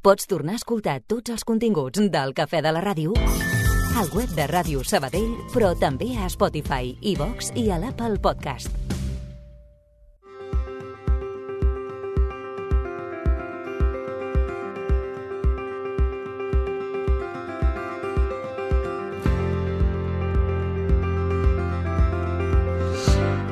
Pots tornar a escoltar tots els continguts del Cafè de la Ràdio al web de Ràdio Sabadell, però també a Spotify, iVox i a l'Apple Podcast.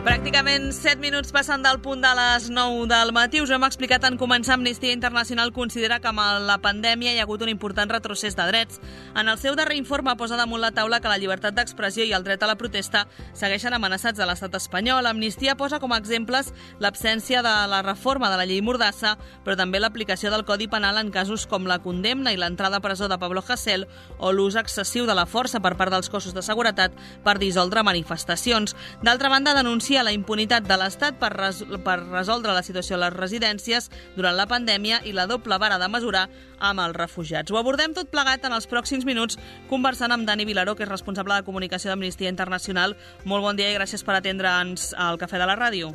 Pràcticament 7 minuts passant del punt de les 9 del matí. Us hem explicat en començar. Amnistia Internacional considera que amb la pandèmia hi ha hagut un important retrocés de drets. En el seu darrer informe posa damunt la taula que la llibertat d'expressió i el dret a la protesta segueixen amenaçats a l'estat espanyol. Amnistia posa com a exemples l'absència de la reforma de la llei Mordassa, però també l'aplicació del Codi Penal en casos com la condemna i l'entrada a presó de Pablo Hasél o l'ús excessiu de la força per part dels cossos de seguretat per dissoldre manifestacions. D'altra banda, denuncia la impunitat de l'Estat per resoldre la situació a les residències durant la pandèmia i la doble vara de mesurar amb els refugiats. Ho abordem tot plegat en els pròxims minuts conversant amb Dani Vilaró, que és responsable de comunicació d'Amnistia Internacional. Molt bon dia i gràcies per atendre'ns al Cafè de la Ràdio.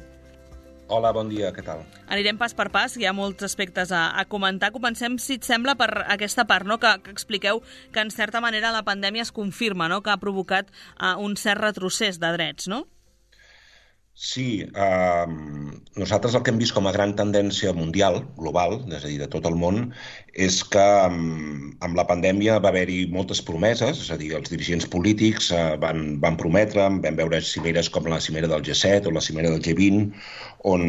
Hola, bon dia, què tal? Anirem pas per pas, hi ha molts aspectes a comentar. Comencem, si et sembla, per aquesta part, no? que expliqueu que, en certa manera, la pandèmia es confirma, no? que ha provocat un cert retrocés de drets, no? Sí, nosaltres el que hem vist com a gran tendència mundial, global, és a dir, de tot el món, és que amb la pandèmia va haver-hi moltes promeses, és a dir, els dirigents polítics van prometre, vam veure cimeres com la cimera del G7 o la cimera del G20, on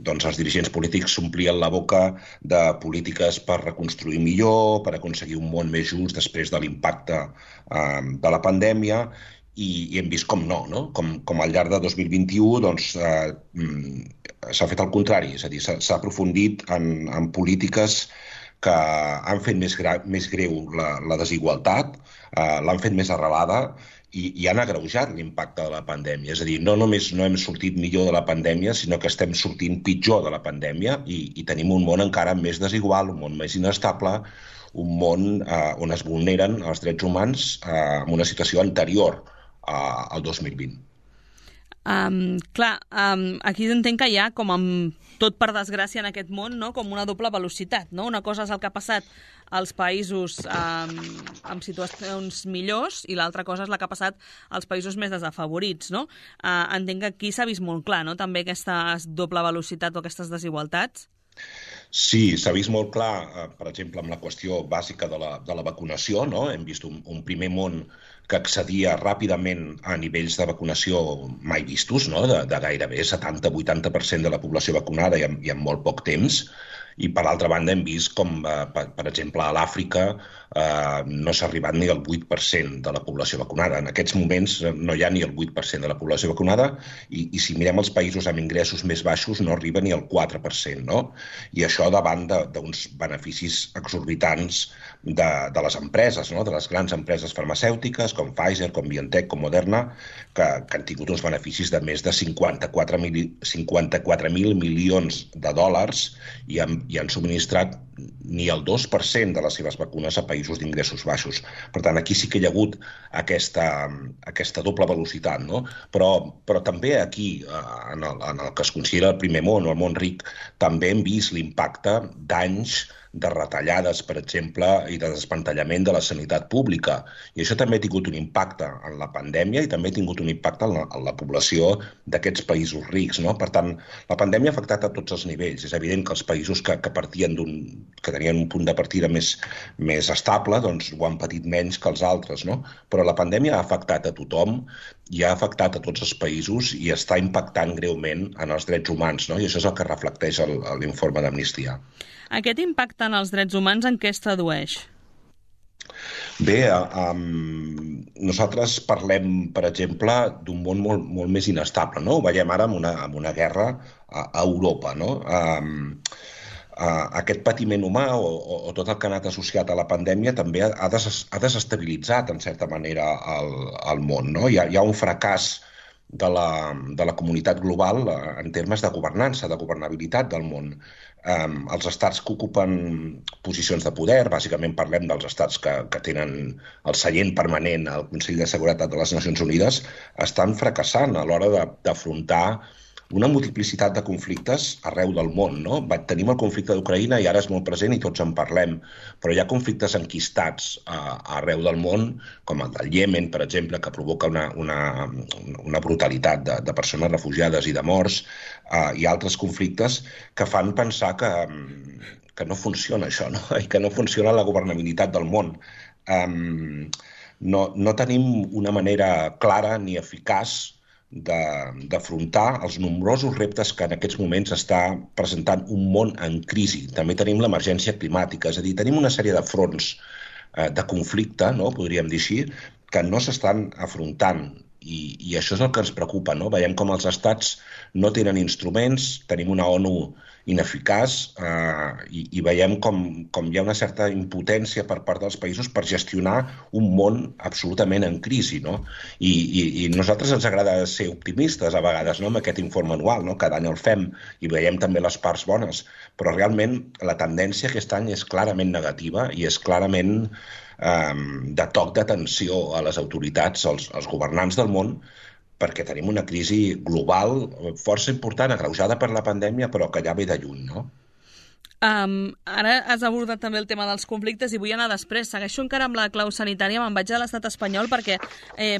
doncs, els dirigents polítics s'omplien la boca de polítiques per reconstruir millor, per aconseguir un món més just després de l'impacte de la pandèmia, i hem vist com no? Com al llarg de 2021 doncs, s'ha fet el contrari, és a dir, s'ha aprofundit en polítiques que han fet més greu la desigualtat, l'han fet més arrelada i han agreujat l'impacte de la pandèmia. És a dir, no només no hem sortit millor de la pandèmia, sinó que estem sortint pitjor de la pandèmia i tenim un món encara més desigual, un món més inestable, un món on es vulneren els drets humans en una situació anterior al 2020. Aquí entenc que hi ha, com amb tot per desgràcia en aquest món, no? Com una doble velocitat, no? Una cosa és el que ha passat als països amb situacions millors i l'altra cosa és la que ha passat als països més desafavorits, no? Entenc que aquí s'ha vist molt clar, no? També aquesta doble velocitat o aquestes desigualtats. Sí, s'ha vist molt clar, per exemple, amb la qüestió bàsica de la vacunació, no? Hem vist un primer món que accedia ràpidament a nivells de vacunació mai vistos, no? De gairebé 70-80% de la població vacunada i en molt poc temps. I, per altra banda, hem vist com, per exemple, a l'Àfrica no s'ha arribat ni al 8% de la població vacunada. En aquests moments no hi ha ni el 8% de la població vacunada i si mirem els països amb ingressos més baixos no arriba ni al 4%, no? I això davant d'uns beneficis exorbitants de les empreses, no? De les grans empreses farmacèutiques com Pfizer, com BioNTech, com Moderna, que han tingut uns beneficis de més de 54.000 milions de dòlars i han subministrat ni el 2% de les seves vacunes a països d'ingressos baixos. Per tant, aquí sí que hi ha hagut aquesta doble velocitat, no? Però també aquí, en el que es considera el primer món o el món ric, també hem vist l'impacte d'anys de retallades, per exemple, i de desmantellament de la sanitat pública. I això també ha tingut un impacte en la pandèmia i també ha tingut un impacte en la població d'aquests països rics, no? Per tant, la pandèmia ha afectat a tots els nivells. És evident que els països que tenien un punt de partida més estable doncs ho han patit menys que els altres, no? Però la pandèmia ha afectat a tothom i ha afectat a tots els països i està impactant greument en els drets humans, no? I això és el que reflecteix l'informe d'Amnistia. Aquest impacte en els drets humans en què es tradueix? Bé, nosaltres parlem, per exemple, d'un món molt més inestable, no? Ho veiem ara amb una guerra a Europa, no? Aquest patiment humà o tot el que ha anat associat a la pandèmia també ha desestabilitzat, en certa manera, el món, no? Hi ha un fracàs de la comunitat global en termes de governança, de governabilitat del món. Els estats que ocupen posicions de poder, bàsicament parlem dels estats que tenen el seient permanent al Consell de Seguretat de les Nacions Unides, estan fracassant a l'hora d'afrontar una multiplicitat de conflictes arreu del món, no? Tenim el conflicte d'Ucraïna i ara és molt present i tots en parlem, però hi ha conflictes enquistats arreu del món, com el del Iemen, per exemple, que provoca una brutalitat de persones refugiades i de morts, i altres conflictes que fan pensar que no funciona això, no? I que no funciona la governabilitat del món. No tenim una manera clara ni eficaç d'afrontar els nombrosos reptes que en aquests moments està presentant un món en crisi. També tenim l'emergència climàtica, és a dir, tenim una sèrie de fronts de conflicte, no? Podríem dir així, que no s'estan afrontant. I això és el que ens preocupa, no? Veiem com els estats no tenen instruments, tenim una ONU ineficaç i veiem com hi ha una certa impotència per part dels països per gestionar un món absolutament en crisi, no? I a nosaltres ens agrada ser optimistes a vegades, no? Amb aquest informe anual, no? Cada any el fem i veiem també les parts bones, però realment la tendència aquest any és clarament negativa i és clarament de toc d'atenció a les autoritats, als governants del món, perquè tenim una crisi global força important, agreujada per la pandèmia, però que ja ve de lluny, no? Ara has abordat també el tema dels conflictes i vull anar després. Segueixo encara amb la clau sanitària, me'n vaig a l'estat espanyol perquè,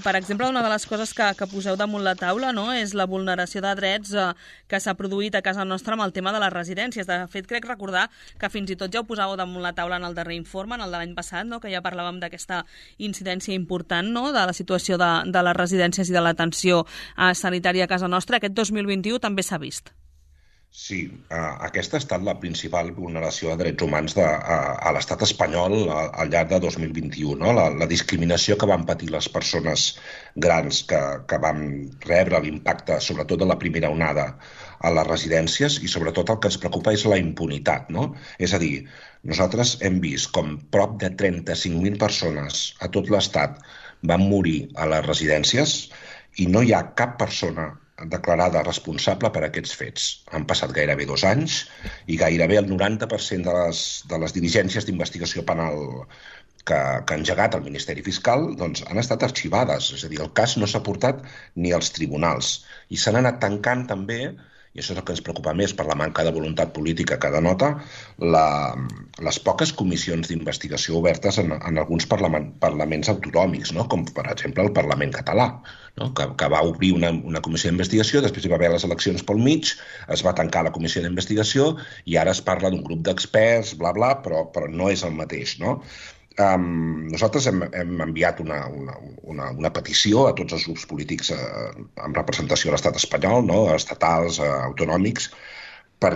per exemple, una de les coses que poseu damunt la taula, no, és la vulneració de drets que s'ha produït a casa nostra amb el tema de les residències. De fet, crec recordar que fins i tot ja ho posàveu damunt la taula en el darrer informe, en el de l'any passat, no, que ja parlàvem d'aquesta incidència important, no, de la situació de les residències i de l'atenció sanitària a casa nostra. Aquest 2021 també s'ha vist. Sí, aquesta ha estat la principal vulneració de drets humans a l'estat espanyol al llarg de 2021, no? La discriminació que van patir les persones grans que van rebre l'impacte, sobretot de la primera onada, a les residències, i sobretot el que ens preocupa és la impunitat, no? És a dir, nosaltres hem vist com prop de 35.000 persones a tot l'estat van morir a les residències i no hi ha cap persona declarada responsable per aquests fets. Han passat gairebé 2 anys i gairebé el 90% de les diligències d'investigació penal que ha engegat el Ministeri Fiscal doncs, han estat arxivades. És a dir, el cas no s'ha portat ni als tribunals. I s'han anat tancant també, i això és el que ens preocupa més per la manca de voluntat política que denota, les poques comissions d'investigació obertes en alguns parlaments autonòmics, no? Com per exemple el Parlament català, no? Que va obrir una comissió d'investigació, després hi va haver les eleccions pel mig, es va tancar la comissió d'investigació i ara es parla d'un grup d'experts, bla, bla, però no és el mateix, no? Nosaltres hem enviat una petició a tots els grups polítics amb representació a l'estat espanyol, no? Estatals, autonòmics, per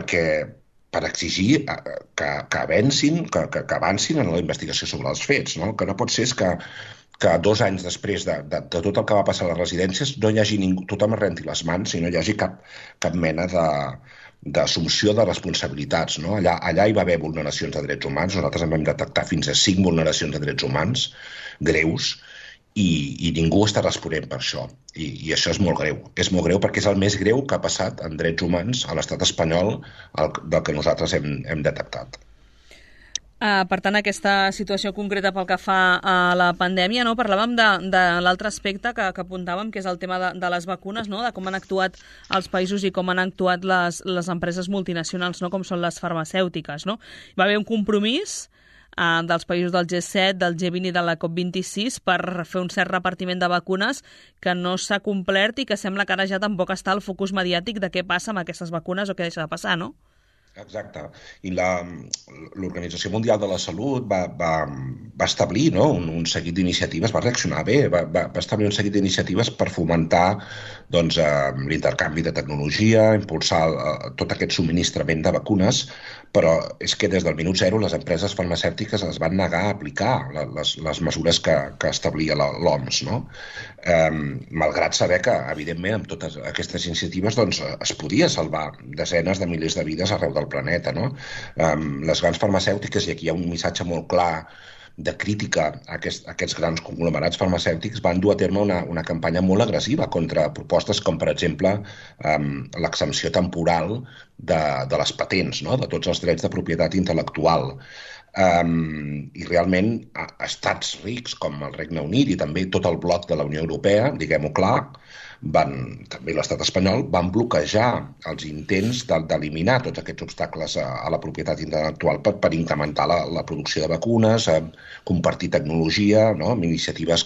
exigir que avancin en la investigació sobre els fets, no? El que no pot ser és que 2 anys després de tot el que va passar a les residències no hi hagi ningú, tothom es renti les mans i no hi hagi cap mena d'assumpció de responsabilitats, no? Allà hi va haver vulneracions de drets humans, nosaltres en vam detectar fins a 5 vulneracions de drets humans greus i ningú està responent per això. I això és molt greu. És molt greu perquè és el més greu que ha passat en drets humans a l'estat espanyol del que nosaltres hem detectat. Per tant, aquesta situació concreta pel que fa a la pandèmia, no? Parlàvem de l'altre aspecte que apuntàvem, que és el tema de les vacunes, no? De com han actuat els països i com han actuat les empreses multinacionals, no? Com són les farmacèutiques, no? Hi va haver un compromís dels països del G7, del G20 i de la COP26 per fer un cert repartiment de vacunes que no s'ha complert i que sembla que ara ja tampoc està el focus mediàtic de què passa amb aquestes vacunes o què deixa de passar, no? Exacte. I l'Organització Mundial de la Salut va establir, no, un seguit d'iniciatives, va reaccionar bé, va establir un seguit d'iniciatives per fomentar doncs, l'intercanvi de tecnologia, impulsar tot aquest subministrament de vacunes, però és que des del minut zero les empreses farmacèutiques es van negar a aplicar les mesures que establia l'OMS, no? Malgrat saber que, evidentment, amb totes aquestes iniciatives doncs, es podia salvar desenes de milers de vides arreu del planeta, no? Les grans farmacèutiques, i aquí hi ha un missatge molt clar de crítica a aquests grans conglomerats farmacèutics, van dur a terme una campanya molt agressiva contra propostes com, per exemple, l'exempció temporal de les patents, no? De tots els drets de propietat intel·lectual. I realment estats rics com el Regne Unit i també tot el bloc de la Unió Europea, diguem-ho clar, també l'estat espanyol, van bloquejar els intents d'eliminar tots aquests obstacles a la propietat intel·lectual per incrementar la producció de vacunes, compartir tecnologia, no? Amb iniciatives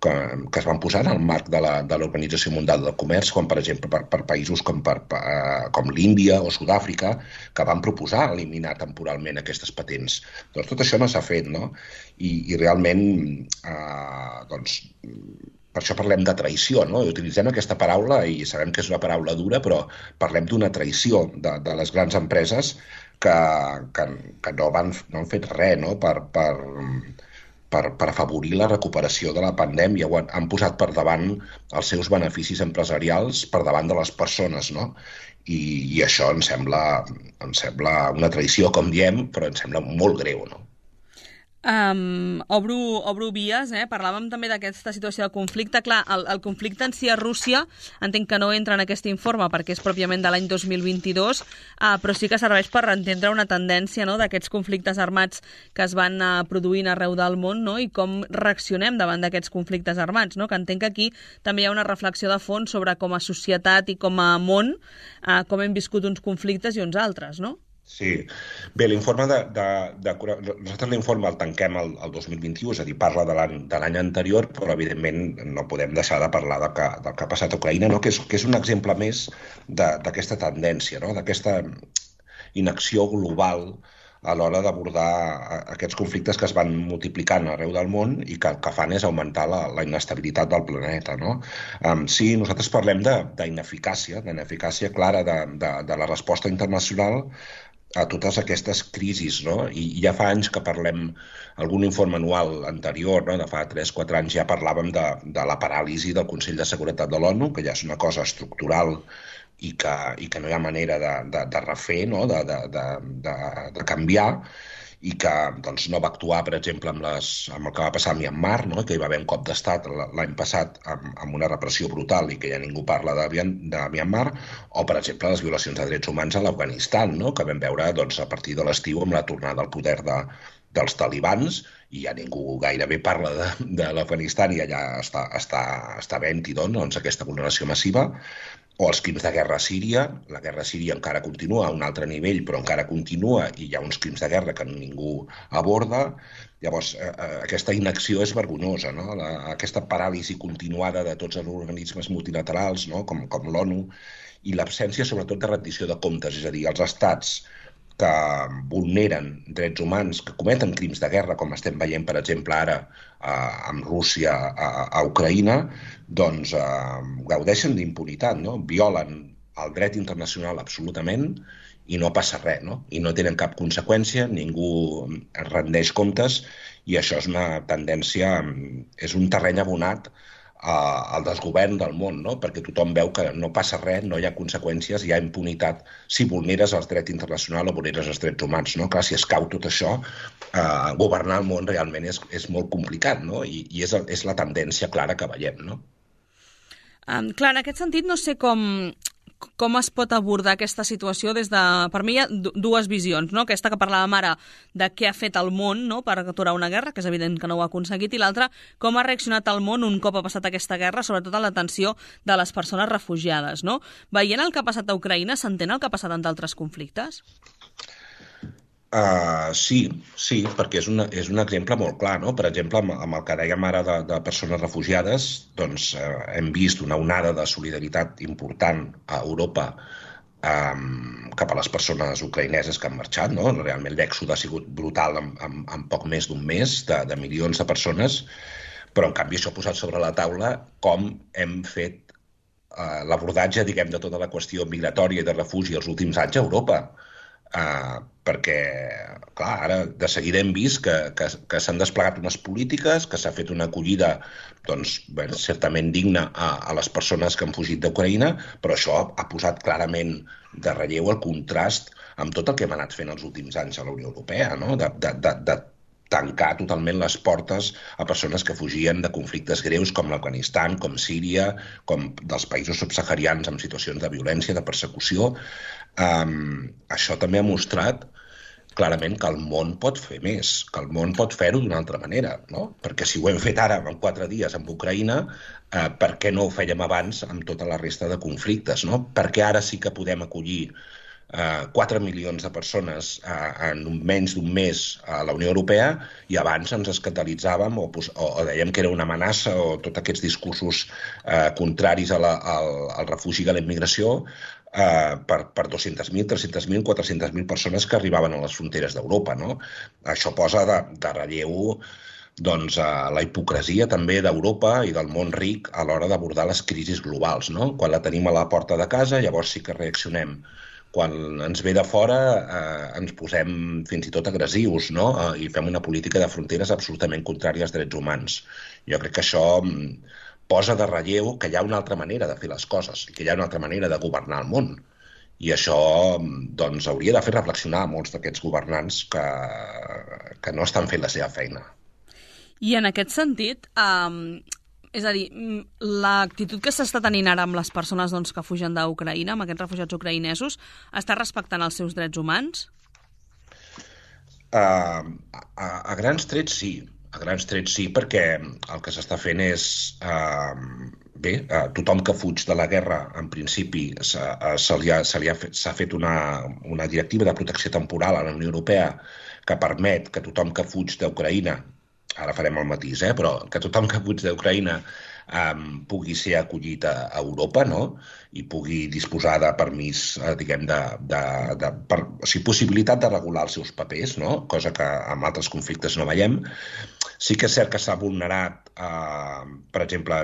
que es van posar en el marc de l'Organització Mundial del Comerç, com per exemple per països com l'Índia o Sud-àfrica, que van proposar eliminar temporalment aquestes patents. Doncs tot això no s'ha fet, no? I realment, doncs, per això parlem de traïció, no? I utilitzem aquesta paraula i sabem que és una paraula dura, però parlem d'una traïció de les grans empreses que no han fet res, no? Per afavorir la recuperació de la pandèmia. Han posat per davant els seus beneficis empresarials per davant de les persones, no? I això em sembla una traïció, com diem, però em sembla molt greu, no? Obro vies, parlàvem també d'aquesta situació de conflicte. Clar, el conflicte en si a Rússia entenc que no entra en aquest informe perquè és pròpiament de l'any 2022, però sí que serveix per entendre una tendència, no?, d'aquests conflictes armats que es van produint arreu del món, no?, i com reaccionem davant d'aquests conflictes armats, no?, que entenc que aquí també hi ha una reflexió de fons sobre com a societat i com a món, com hem viscut uns conflictes i uns altres, no? Sí. Bé, l'informe nosaltres l'informe el tanquem el 2021, és a dir, parla de l'any anterior, però evidentment no podem deixar de parlar del que ha passat a Ucraïna, no? Que és un exemple més d'aquesta tendència, no? D'aquesta inacció global a l'hora d'abordar aquests conflictes que es van multiplicant arreu del món i que el que fan és augmentar la inestabilitat del planeta, no? Sí, nosaltres parlem d'ineficàcia clara de la resposta internacional a totes aquestes crisis, no? I ja fa anys que parlem, algun informe anual anterior, no?, de fa 3-4 anys ja parlàvem de la paràlisi del Consell de Seguretat de l'ONU, que ja és una cosa estructural i que no hi ha manera de refer, no?, de canviar, i que doncs, no va actuar, per exemple, amb el que va passar a Myanmar, no?, que hi va haver un cop d'estat l'any passat amb una repressió brutal i que ja ningú parla de Myanmar, o, per exemple, les violacions de drets humans a l'Afganistan, no?, que vam veure doncs, a partir de l'estiu amb la tornada al poder dels talibans, i ja ningú gairebé parla de l'Afganistan i allà està havent-hi doncs, aquesta vulneració massiva, o els crims de guerra a Síria. La guerra a Síria encara continua a un altre nivell, però encara continua i hi ha uns crims de guerra que ningú aborda. Llavors, aquesta inacció és vergonyosa, no? Aquesta paràlisi continuada de tots els organismes multilaterals, no?, com l'ONU, i l'absència, sobretot, de rendició de comptes, és a dir, els estats que vulneren drets humans, que cometen crims de guerra, com estem veient, per exemple, ara amb Rússia a Ucraïna, doncs gaudeixen d'impunitat, no? Violen el dret internacional absolutament i no passa res, no? I no tenen cap conseqüència, ningú rendeix comptes, i això és una tendència, és un terreny abonat al desgovern del món, no? Perquè tothom veu que no passa res, no hi ha conseqüències, hi ha impunitat si vulneres el dret internacional o vulneres els drets humans, no? Clar, si es cau tot això, governar el món realment és molt complicat, no? I és la tendència clara que veiem, no? Clar, en aquest sentit no sé com es pot abordar aquesta situació des de... Per mi hi ha dues visions, no? Aquesta que parlàvem ara de què ha fet el món, no?, per aturar una guerra, que és evident que no ho ha aconseguit, i l'altra, com ha reaccionat el món un cop ha passat aquesta guerra, sobretot a l'atenció de les persones refugiades, no? Veient el que ha passat a Ucraïna, s'entén el que ha passat en d'altres conflictes? Sí, perquè és un exemple molt clar, no? Per exemple, amb el que dèiem ara de persones refugiades, doncs hem vist una onada de solidaritat important a Europa cap a les persones ucraïneses que han marxat, no? Realment l'èxode ha sigut brutal en poc més d'un mes, de milions de persones, però en canvi això ha posat sobre la taula com hem fet l'abordatge, diguem, de tota la qüestió migratòria i de refugi els últims anys a Europa. Perquè, clar, ara de seguida hem vist que s'han desplegat unes polítiques, que s'ha fet una acollida doncs, certament digna a les persones que han fugit d'Ucraïna, però això ha posat clarament de relleu el contrast amb tot el que hem anat fent els últims anys a la Unió Europea, no? De tancar totalment les portes a persones que fugien de conflictes greus com l'Afganistan, com Síria, com dels països subsaharians amb situacions de violència, de persecució. Això també ha mostrat clarament que el món pot fer més, que el món pot fer-ho d'una altra manera, no? Perquè si ho hem fet ara en 4 dies amb Ucraïna, per què no ho fèiem abans amb tota la resta de conflictes, no? Perquè ara sí que podem acollir 4 milions de persones en menys d'un mes a la Unió Europea i abans ens escandalitzàvem o dèiem que era una amenaça o tots aquests discursos contraris al refugi i a la immigració per 200.000, 300.000, 400.000 persones que arribaven a les fronteres d'Europa, no? Això posa de relleu doncs, la hipocresia també d'Europa i del món ric a l'hora d'abordar les crisis globals, no? Quan la tenim a la porta de casa, llavors sí que reaccionem. Quan ens ve de fora ens posem fins i tot agressius, no? I fem una política de fronteres absolutament contrària als drets humans. Jo crec que això posa de relleu que hi ha una altra manera de fer les coses i que hi ha una altra manera de governar el món. I això doncs, hauria de fer reflexionar molts d'aquests governants que no estan fent la seva feina. I en aquest sentit, és a dir, l'actitud que s'està tenint ara amb les persones que fugen d'Ucraïna, amb aquests refugiats ucraïnesos, està respectant els seus drets humans? A grans trets sí. A grans trets sí, perquè el que s'està fent és... tothom que fuig de la guerra, en principi, s'ha fet una directiva de protecció temporal a la Unió Europea que permet que tothom que fuig d'Ucraïna, ara farem el matís, però que tothom que fuig d'Ucraïna pugui ser acollit a Europa, no? I pugui disposar de permís, diguem, possibilitat de regular els seus papers, no? Cosa que en altres conflictes no veiem. Sí que és cert que s'ha vulnerat, per exemple,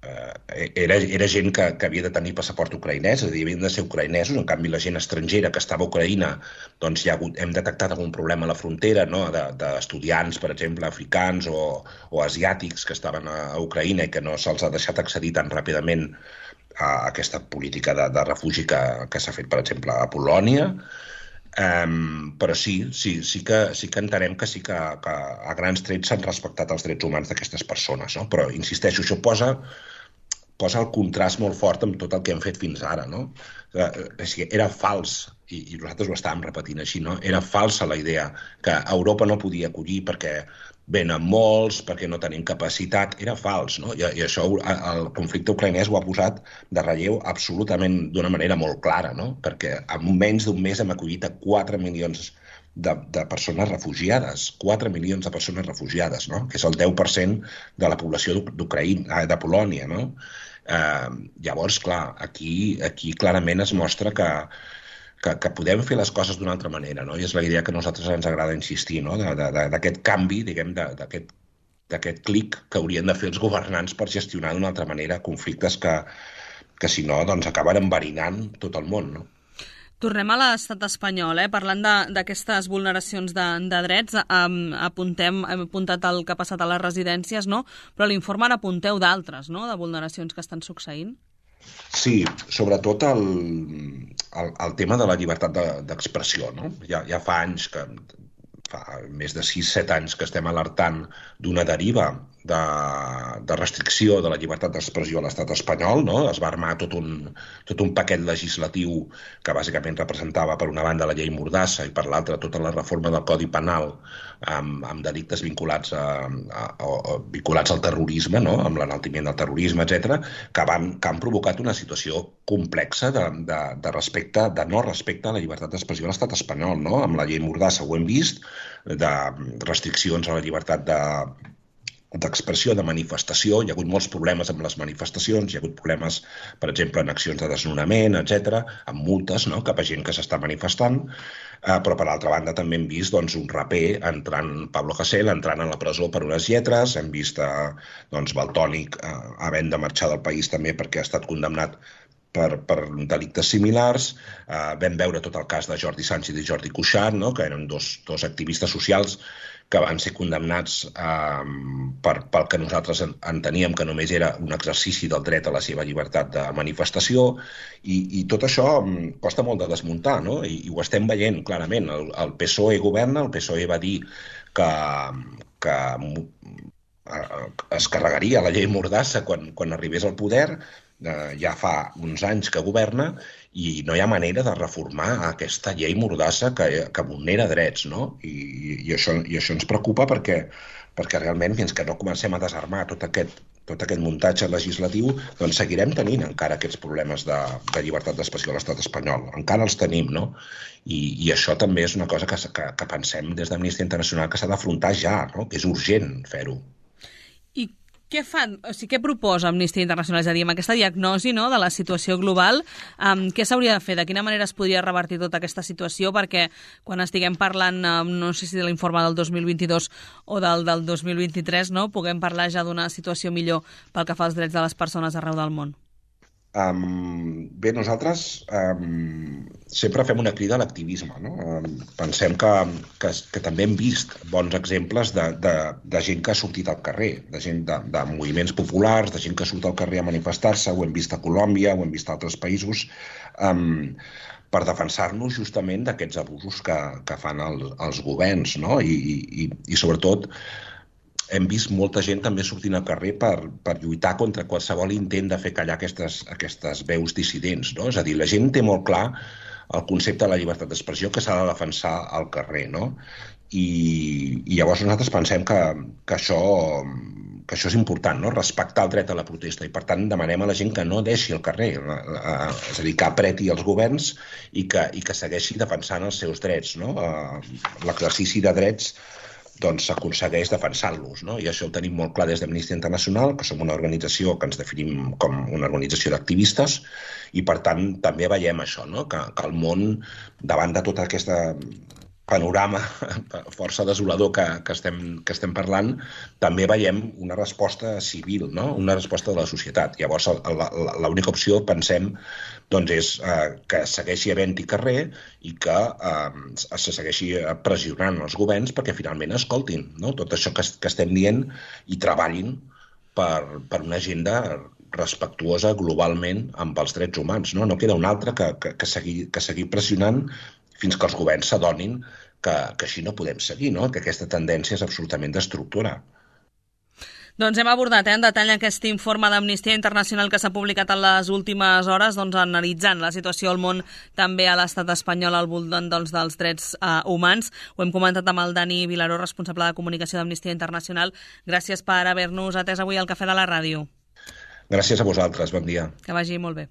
era gent que havia de tenir passaport ucraïnès, és a dir, havien de ser ucraïnesos, en canvi la gent estrangera que estava a Ucraïna, doncs hem detectat algun problema a la frontera, no? D'estudiants, per exemple, africans o asiàtics que estaven a Ucraïna i que no se'ls ha deixat accedir tan ràpidament a aquesta política de refugi que s'ha fet, per exemple, a Polònia. Però sí que entenem que sí que a grans trets s'han respectat els drets humans d'aquestes persones, no? Però, insisteixo, això posa el contrast molt fort amb tot el que hem fet fins ara, no? Era fals, i nosaltres ho estàvem repetint així, no? Era falsa la idea que Europa no podia acollir perquè venen molts, perquè no tenim capacitat. Era fals, no? I això el conflicte ucraïnès ho ha posat de relleu absolutament d'una manera molt clara, no? Perquè en menys d'un mes hem acollit a 4 milions de persones refugiades, 4 milions de persones refugiades, no? Que és el 10% de la població de Polònia, no? Llavors, clar, aquí clarament es mostra que podem fer les coses d'una altra manera, no? I és la idea que a nosaltres ens agrada insistir, no? D'aquest canvi, diguem, d'aquest clic que haurien de fer els governants per gestionar d'una altra manera conflictes que si no, doncs acaben enverinant tot el món, no? Tornem a l'estat espanyol, parlant d'aquestes vulneracions de drets, hem apuntat el que ha passat a les residències, no? Però a l'informe n'apunteu d'altres, no?, de vulneracions que estan succeint. Sí, sobretot el tema de la llibertat d'expressió, no? Ja fa anys fa més de 6-7 anys que estem alertant d'una deriva de restricció de la llibertat d'expressió a l'estat espanyol, no? Es va armar tot un paquet legislatiu que bàsicament representava per una banda la llei Mordassa i per l'altra tota la reforma del Codi Penal amb delictes vinculats al terrorisme, no? Amb l'enaltiment del terrorisme, etc., que han provocat una situació complexa de no respecte a la llibertat d'expressió a l'estat espanyol, no? Amb la llei Mordassa ho hem vist, de restriccions a la llibertat d'expressió, de manifestació. Hi ha hagut molts problemes amb les manifestacions, hi ha hagut problemes, per exemple, en accions de desnonament, etc., amb multes, no?, cap a gent que s'està manifestant, però per altra banda també hem vist un raper Pablo Hasél entrant a la presó per unes lletres, hem vist Valtònyc havent de marxar del país també perquè ha estat condemnat per delictes similars. Vam veure tot el cas de Jordi Sànchez i Jordi Cuixart, no?, que eren dos activistes socials que van ser condemnats pel que nosaltres enteníem que només era un exercici del dret a la seva llibertat de manifestació, i tot això costa molt de desmuntar, no? I ho estem veient clarament. El PSOE governa, el PSOE va dir que es carregaria la llei Mordassa quan arribés al poder, ja fa uns anys que governa, i no hi ha manera de reformar aquesta llei mordassa que vulnera drets, no? I això ens preocupa perquè realment fins que no comencem a desarmar tot aquest muntatge legislatiu, doncs seguirem tenint encara aquests problemes de llibertat d'expressió a l'estat espanyol. Encara els tenim, no? I això també és una cosa que pensem des d'Amnistia Internacional que s'ha d'afrontar ja, no? Que és urgent fer-ho. I què fan? O sigui, què proposa Amnistia Internacional? És a dir, amb aquesta diagnosi, no, de la situació global, què s'hauria de fer? De quina manera es podria revertir tota aquesta situació? Perquè quan estiguem parlant, no sé si de l'informe del 2022 o del 2023, no, puguem parlar ja d'una situació millor pel que fa als drets de les persones arreu del món. Bé, nosaltres sempre fem una crida a l'activisme, no? Pensem que també hem vist bons exemples de gent que ha sortit al carrer, de gent de moviments populars, de gent que surt al carrer a manifestar-se, ho hem vist a Colòmbia, ho hem vist a altres països, per defensar-nos justament d'aquests abusos que fan els governs, no? I sobretot hem vist molta gent també sortint al carrer per lluitar contra qualsevol intent de fer callar aquestes veus dissidents, no? És a dir, la gent té molt clar el concepte de la llibertat d'expressió que s'ha de defensar al carrer, no? I llavors nosaltres pensem que això és important, no? Respectar el dret a la protesta i per tant demanem a la gent que no deixi el carrer, és a dir, que apreti els governs i que segueixi defensant els seus drets, no? L'exercici de drets doncs s'aconsegueix defensant-los, no? I això ho tenim molt clar des d'Amnistia Internacional, que som una organització que ens definim com una organització d'activistes i, per tant, també veiem això, no? Que el món, davant de tota aquesta panorama força desolador que estem parlant, també veiem una resposta civil, no? Una resposta de la societat. Llavors, l'única opció, pensem, doncs és que segueixi havent-hi carrer i que se segueixi pressionant els governs perquè finalment escoltin, no? Tot això que estem dient i treballin per una agenda respectuosa globalment amb els drets humans, no? No queda una altra que seguir pressionant fins que els governs s'adonin que així no podem seguir, no? Que aquesta tendència és absolutament destructora. Doncs hem abordat en detall aquest informe d'Amnistia Internacional que s'ha publicat en les últimes hores, doncs, analitzant la situació al món, també a l'estat espanyol al voltant dels drets humans. Ho hem comentat amb el Dani Vilaró, responsable de comunicació d'Amnistia Internacional. Gràcies per haver-nos atès avui al Cafè de la Ràdio. Gràcies a vosaltres, bon dia. Que vagi molt bé.